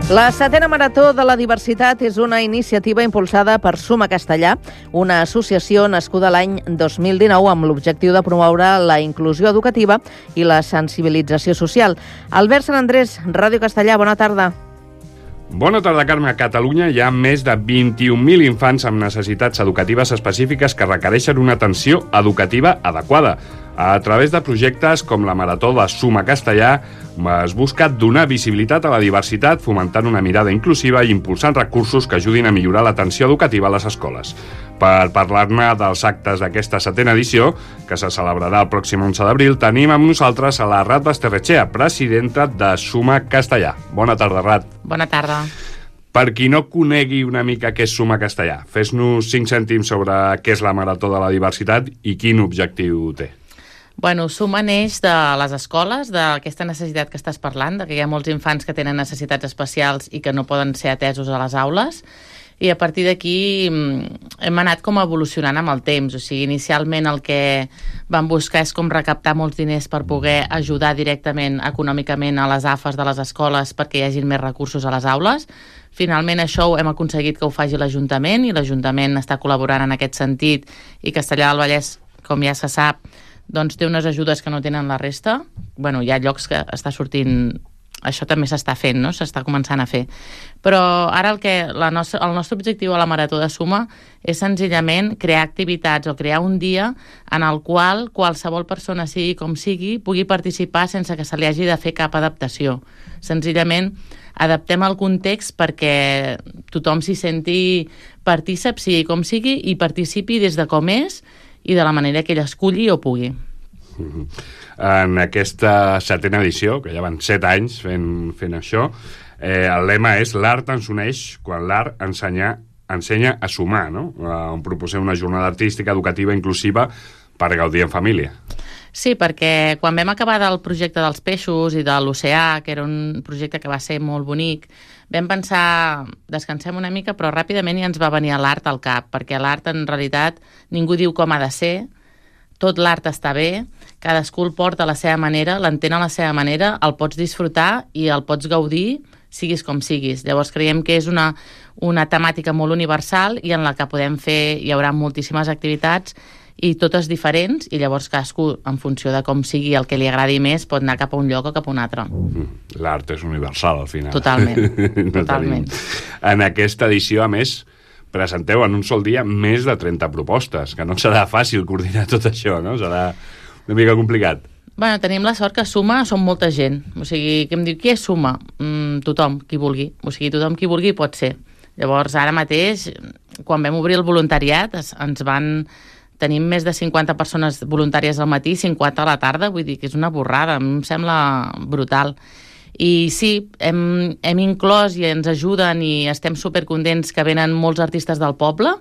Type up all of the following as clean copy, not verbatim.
La setena Marató de la Diversitat és una iniciativa impulsada per Suma Castellà, una associació nascuda l'any 2019 amb l'objectiu de promoure la inclusió educativa i la sensibilització social. Albert Sant Andrés, Ràdio Castellà, bona tarda. Bona tarda, Carme. A Catalunya hi ha més de 21.000 infants amb necessitats educatives específiques que requereixen una atenció educativa adequada. A través de projectes com la Marató de Suma Castellà es busca donar visibilitat a la diversitat, fomentant una mirada inclusiva i impulsant recursos que ajudin a millorar l'atenció educativa a les escoles. Per parlar-ne dels actes d'aquesta setena edició, que se celebrarà el pròxim 11 d'abril, tenim amb nosaltres a la Rat Basterrechea, presidenta de Suma Castellà. Bona tarda, Rat. Bona tarda. Per qui no conegui una mica què és Suma Castellà, fes-nos 5 cèntims sobre què és la Marató de la Diversitat i quin objectiu té. Bueno, Suma neix de les escoles, d'aquesta necessitat que estàs parlant, que hi ha molts infants que tenen necessitats especials i que no poden ser atesos a les aules, i a partir d'aquí hem anat com evolucionant amb el temps. O sigui, inicialment el que vam buscar és com recaptar molts diners per poder ajudar directament econòmicament a les AFAs de les escoles perquè hi hagin més recursos a les aules. Finalment això hem aconseguit que ho faci l'Ajuntament i l'Ajuntament està col·laborant en aquest sentit i Castellar del Vallès, com ja se sap, doncs té unes ajudes que no tenen la resta. Bueno, hi ha llocs que està sortint... Això també s'està fent, no? S'està començant a fer. Però ara el nostre objectiu a la Marató de Suma és senzillament crear activitats o crear un dia en el qual qualsevol persona, sigui com sigui, pugui participar sense que se li hagi de fer cap adaptació. Senzillament adaptem el context perquè tothom s'hi senti partícip, sigui com sigui, i participi des de com és i de la manera que ell esculli o pugui. En aquesta setena edició, que ja van 7 anys fent això, el lema és l'art ens uneix quan l'art ensenya a sumar, no? On proposem una jornada artística, educativa, inclusiva per gaudir en família. Sí, perquè quan vam acabar del projecte dels peixos i de l'oceà, que era un projecte que va ser molt bonic, vam pensar, descansem una mica, però ràpidament ja ens va venir l'art al cap, perquè l'art en realitat ningú diu com ha de ser, tot l'art està bé, cadascú el porta a la seva manera, l'entén a la seva manera, el pots disfrutar i el pots gaudir, siguis com siguis. Llavors creiem que és una temàtica molt universal i en la que podem fer, hi haurà moltíssimes activitats i totes diferents, i llavors cadascú, en funció de com sigui el que li agradi més, pot anar cap a un lloc o cap a un altre. L'art és universal, al final. Totalment, totalment. En aquesta edició, a més, presenteu en un sol dia més de 30 propostes, que no serà fàcil coordinar tot això, no? Serà una mica complicat. Bueno, tenim la sort que Suma som molta gent. O sigui, que em diu, qui és Suma? Tothom, qui vulgui. O sigui, tothom qui vulgui pot ser. Llavors, ara mateix, quan vam obrir el voluntariat, tenim més de 50 persones voluntàries al matí, 50 a la tarda, vull dir que és una borrada, em sembla brutal. I sí, hem inclòs i ens ajuden i estem supercontents que venen molts artistes del poble.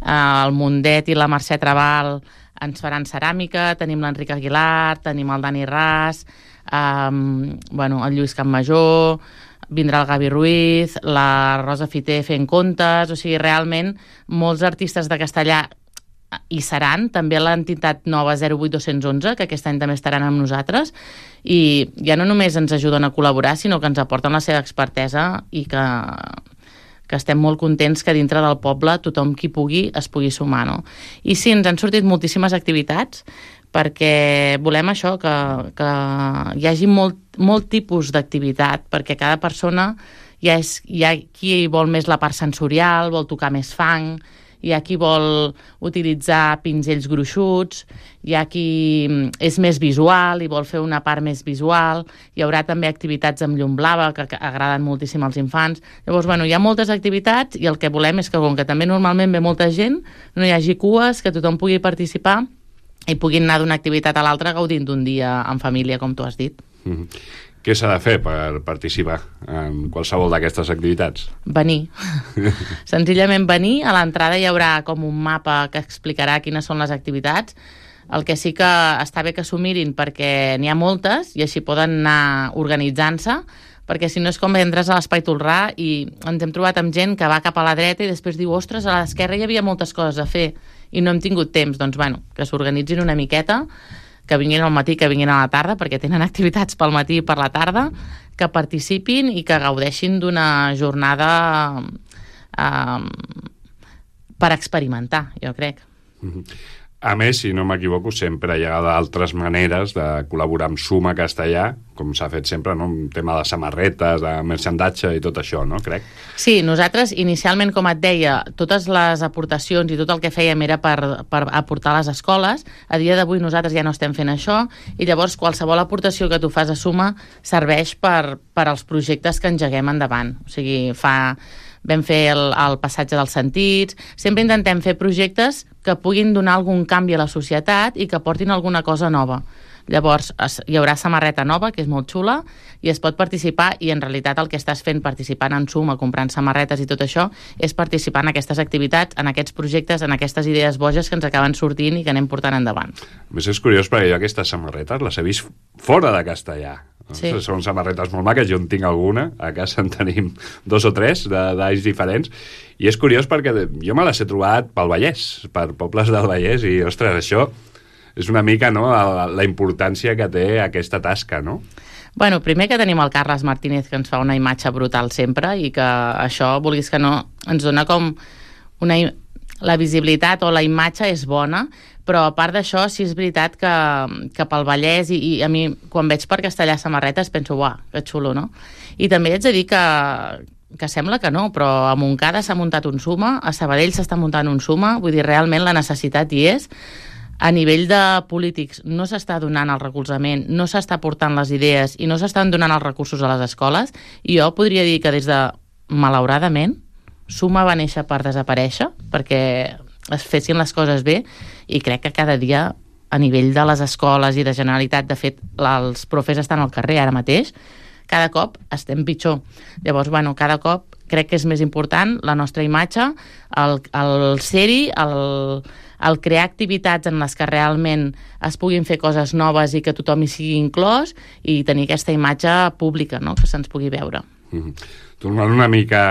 El Mundet i la Mercè Trabal ens faran ceràmica, tenim l'Enric Aguilar, tenim el Dani Ras, el Lluís Campmajor, vindrà el Gavi Ruiz, la Rosa Fiter fent contes, o sigui, realment molts artistes de Castellà hi seran, també l'entitat nova 08211, que aquest any també estaran amb nosaltres, i ja no només ens ajuden a col·laborar, sinó que ens aporten la seva expertesa i que estem molt contents que dintre del poble tothom qui pugui es pugui sumar, no? I sí, ens han sortit moltíssimes activitats perquè volem això, que hi hagi molt tipus d'activitat, perquè cada persona hi ha qui vol més la part sensorial, vol tocar més fang, hi ha qui vol utilitzar pinzells gruixuts, hi ha qui és més visual i vol fer una part més visual, hi haurà també activitats amb llum blava que agraden moltíssim als infants. Llavors, hi ha moltes activitats i el que volem és que, com que també normalment ve molta gent, no hi hagi cues, que tothom pugui participar i puguin anar d'una activitat a l'altra gaudint d'un dia en família, com tu has dit. Què s'ha de fer per participar en qualsevol d'aquestes activitats? Venir. Senzillament venir. A l'entrada hi haurà com un mapa que explicarà quines són les activitats. El que sí que està bé que s'ho mirin perquè n'hi ha moltes i així poden anar organitzant-se, perquè si no és com entres a l'Espai Tolrà i ens hem trobat amb gent que va cap a la dreta i després diu, ostres, a l'esquerra hi havia moltes coses a fer i no hem tingut temps. Doncs, que s'organitzin una miqueta. que vinguin al matí, que vinguin a la tarda, perquè tenen activitats pel matí i per la tarda, que participin i que gaudeixin d'una jornada per experimentar, jo crec. A més, si no m'equivoco, sempre hi ha d'altres maneres de col·laborar amb Suma Castellà, com s'ha fet sempre, no? Un tema de samarretes, de merchandatge i tot això, no? Crec. Sí, nosaltres inicialment, com et deia, totes les aportacions i tot el que fèiem era per aportar a les escoles. A dia d'avui nosaltres ja no estem fent això i llavors qualsevol aportació que tu fas a Suma serveix per als projectes que engeguem endavant. O sigui, vam fer el passatge dels sentits, sempre intentem fer projectes que puguin donar algun canvi a la societat i que portin alguna cosa nova. Llavors, hi haurà samarreta nova, que és molt xula, i es pot participar, i en realitat el que estàs fent participant en Suma, comprant samarretes i tot això, és participar en aquestes activitats, en aquests projectes, en aquestes idees boges que ens acaben sortint i que anem portant endavant. A més, és curiós perquè jo aquestes samarretes les he vist fora de Castellà. Sí. Són samarretes molt maques, jo en tinc alguna, a casa en tenim 2 o 3 d'alls diferents, i és curiós perquè jo me les he trobat pel Vallès, per pobles del Vallès, i ostres, això és una mica, no?, la importància que té aquesta tasca, no? Bueno, primer que tenim el Carles Martínez, que ens fa una imatge brutal sempre, i que això, vulguis que no, ens dona com la visibilitat o la imatge és bona, però a part d'això, sí és veritat que pel Vallès, i a mi, quan veig per Castellà samarretes, penso, uah, que xulo, no? I també haig de dir que sembla que no, però a Montcada s'ha muntat un Suma, a Sabadell s'està muntant un Suma, vull dir, realment la necessitat hi és. A nivell de polítics no s'està donant el recolzament, no s'està portant les idees i no s'estan donant els recursos a les escoles, i jo podria dir que des de, malauradament, Suma va néixer per desaparèixer, perquè es fessin les coses bé, i crec que cada dia a nivell de les escoles i de Generalitat, de fet, els profes estan al carrer ara mateix, cada cop estem pitjor. Llavors, bueno, cada cop crec que és més important la nostra imatge, el ser-hi, el crear activitats en les que realment es puguin fer coses noves i que tothom hi sigui inclòs, i tenir aquesta imatge pública, no?, que se'ns pugui veure. Tornant una mica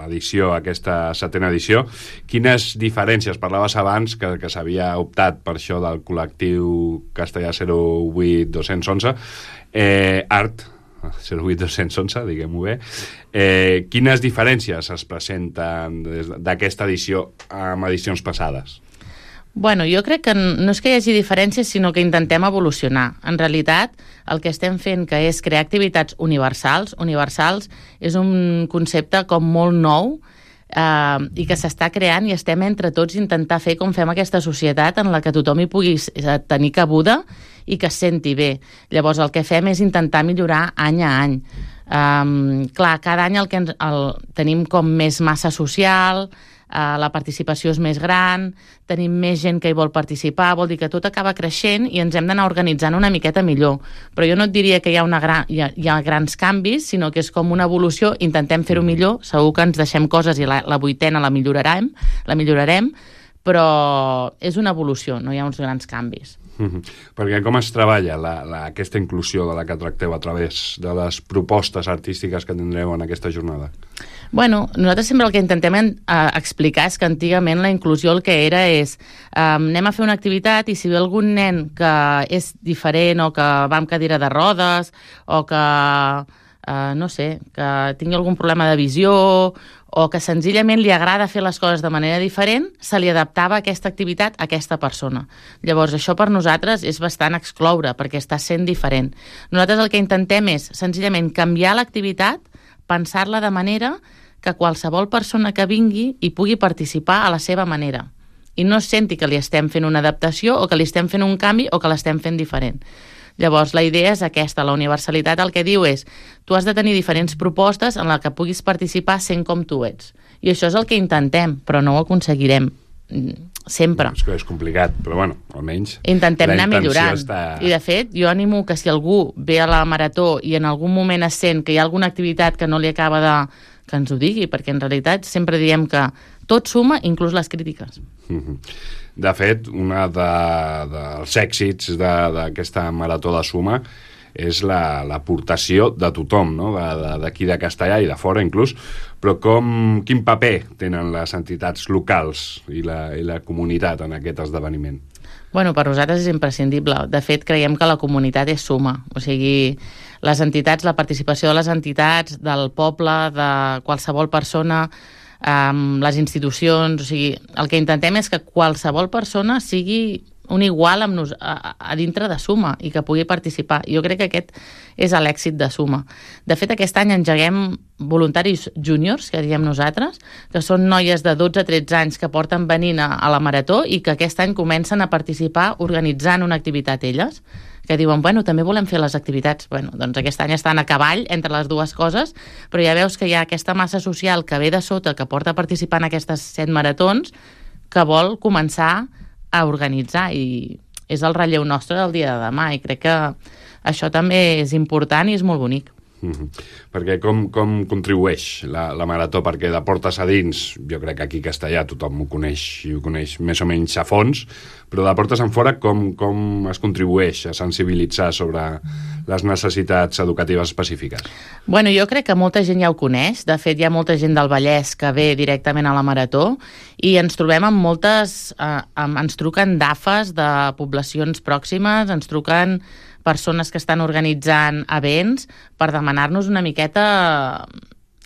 l'edició, aquesta 7a edició, quines diferències? Parlaves abans que s'havia optat per això del col·lectiu Castellà 08-211, Art 08-211, diguem-ho bé. Quines diferències es presenten d'aquesta edició amb edicions passades? Bueno, jo crec que no és que hi hagi diferències, sinó que intentem evolucionar. En realitat, el que estem fent, que és crear activitats universals és un concepte com molt nou i que s'està creant, i estem entre tots intentar fer com fem aquesta societat en la que tothom hi pugui tenir cabuda i que es senti bé. Llavors, el que fem és intentar millorar any a any. Clar, cada any tenim com més massa social, la participació és més gran, tenim més gent que hi vol participar, vol dir que tot acaba creixent i ens hem d'anar organitzant una miqueta millor. Però jo no et diria que hi ha grans canvis, sinó que és com una evolució, intentem fer-ho millor, segur que ens deixem coses i la 8a la millorarem, però és una evolució, no hi ha uns grans canvis. Perquè com es treballa aquesta inclusió de la que tracteu a través de les propostes artístiques que tindreu en aquesta jornada? Bueno, nosaltres sempre el que intentem explicar és que antigament la inclusió el que era és anem a fer una activitat i si ve algun nen que és diferent o que va amb cadira de rodes o que, no sé, que tingui algun problema de visió o que senzillament li agrada fer les coses de manera diferent, se li adaptava aquesta activitat a aquesta persona. Llavors, això per nosaltres és bastant excloure, perquè està sent diferent. Nosaltres el que intentem és senzillament canviar l'activitat, pensar-la de manera que qualsevol persona que vingui hi pugui participar a la seva manera i no senti que li estem fent una adaptació o que li estem fent un canvi o que l'estem fent diferent. Llavors, la idea és aquesta, la universalitat el que diu és tu has de tenir diferents propostes en la que puguis participar sent com tu ets. I això és el que intentem, però no ho aconseguirem sempre. És que és complicat, però bueno, almenys intentem anar millorant. Està... I de fet, jo animo que si algú ve a la marató i en algun moment es sent que hi ha alguna activitat que no li acaba de... que ens ho digui, perquè en realitat sempre diem que tot suma, inclús les crítiques. De fet, un dels èxits d'aquesta marató de Suma és l'aportació de tothom, no? D'aquí de Castellà i de fora inclús, però quin paper tenen les entitats locals i la comunitat en aquest esdeveniment? Bueno, per nosaltres és imprescindible. De fet, creiem que la comunitat és suma. O sigui, les entitats, la participació de les entitats, del poble, de qualsevol persona, les institucions... O sigui, el que intentem és que qualsevol persona sigui un igual a dintre de Suma i que pugui participar. Jo crec que aquest és l'èxit de Suma. De fet, aquest any engeguem voluntaris júniors, que diem nosaltres, que són noies de 12 a 13 anys que porten venint a la marató i que aquest any comencen a participar organitzant una activitat elles, que diuen, bueno, també volem fer les activitats. Bueno, doncs aquest any estan a cavall entre les dues coses, però ja veus que hi ha aquesta massa social que ve de sota, que porta a participar en aquestes 7 maratons, que vol començar a organitzar, i és el relleu nostre del dia de demà, i crec que això també és important i és molt bonic. Perquè com contribueix la marató? Perquè de portes a dins, jo crec que aquí a Castellà tothom ho coneix i ho coneix més o menys a fons, però de portes en fora com es contribueix a sensibilitzar sobre les necessitats educatives específiques? Bueno, jo crec que molta gent ja ho coneix. De fet, hi ha molta gent del Vallès que ve directament a la marató i ens trobem amb moltes... ens truquen d'AFAs de poblacions pròximes, ens truquen persones que estan organitzant events per demanar-nos una miqueta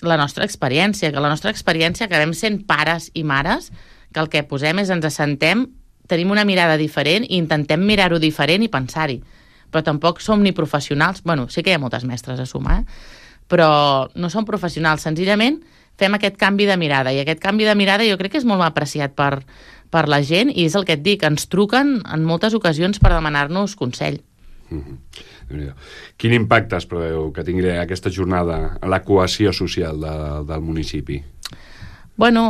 la nostra experiència, que la nostra experiència acabem sent pares i mares, que el que posem és ens assentem, tenim una mirada diferent i intentem mirar-ho diferent i pensar-hi. Però tampoc som ni professionals, bueno, sí que hi ha moltes mestres a Suma, però no som professionals, senzillament fem aquest canvi de mirada, i aquest canvi de mirada jo crec que és molt apreciat per la gent, i és el que et dic, ens truquen en moltes ocasions per demanar-nos consell. Quin impacte es preveu que tingui aquesta jornada en la cohesió social del municipi? Bueno,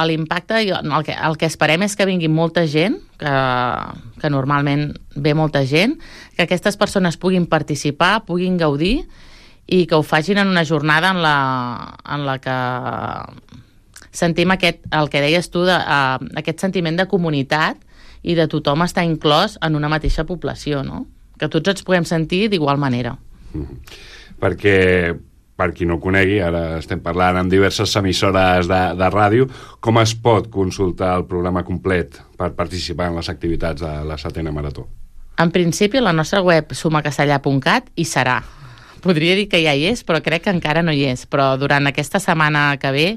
l'impacte, el que esperem és que vingui molta gent, que normalment ve molta gent, que aquestes persones puguin participar, puguin gaudir, i que ho facin en una jornada en la que sentim el que deies tu, aquest sentiment de comunitat i de tothom estar inclòs en una mateixa població, no? Que tots ens puguem sentir d'igual manera. Perquè, per qui no ho conegui, ara estem parlant amb diverses emissores de ràdio, com es pot consultar el programa complet per participar en les activitats de la 7a Marató? En principi, la nostra web sumacastellà.cat hi serà. Podria dir que ja hi és, però crec que encara no hi és. Però durant aquesta setmana que ve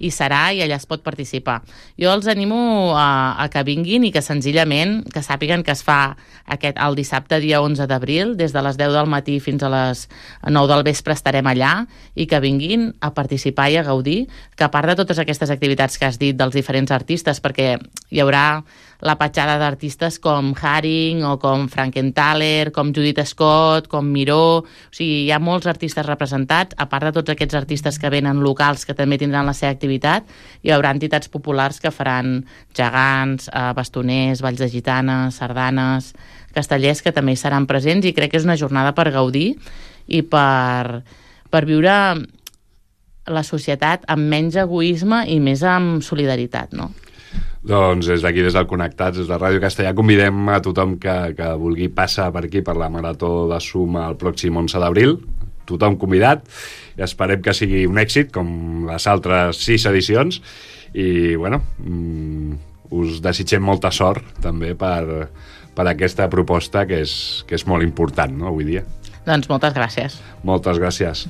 hi serà i allà es pot participar. Jo els animo a que vinguin i que senzillament que sàpiguen que es fa el dissabte dia 11 d'abril, des de les 10 del matí fins a les 9 del vespre estarem allà, i que vinguin a participar i a gaudir, que a part de totes aquestes activitats que has dit dels diferents artistes, perquè hi haurà la petjada d'artistes com Haring o com Frankenthaler, com Judith Scott, com Miró, o sigui, hi ha molts artistes representats, a part de tots aquests artistes que venen locals que també tindran la seva activitat, hi haurà entitats populars que faran gegants, bastoners, balls de gitanes, sardanes, castellers, que també hi seran presents, i crec que és una jornada per gaudir i per viure la societat amb menys egoisme i més amb solidaritat, no? Doncs des d'aquí, des del Connectats, des de Ràdio Castellà, convidem a tothom que vulgui passar per aquí, per la Marató de Suma el pròxim 11 d'abril. Tothom convidat, i esperem que sigui un èxit, com les altres 6 edicions, i, bueno, us desitgem molta sort, també, per aquesta proposta, que és molt important, no?, avui dia. Doncs moltes gràcies. Moltes gràcies.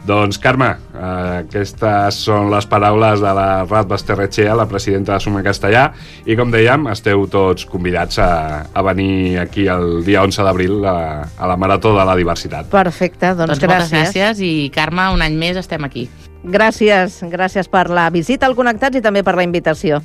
Doncs, Carme, aquestes són les paraules de la Rat Basterretxea, la presidenta de Suma Castellà, i com dèiem, esteu tots convidats a venir aquí el dia 11 d'abril a la Marató de la Diversitat. Perfecte, doncs gràcies. Moltes gràcies, i Carme, un any més estem aquí. Gràcies per la visita al Connectats i també per la invitació.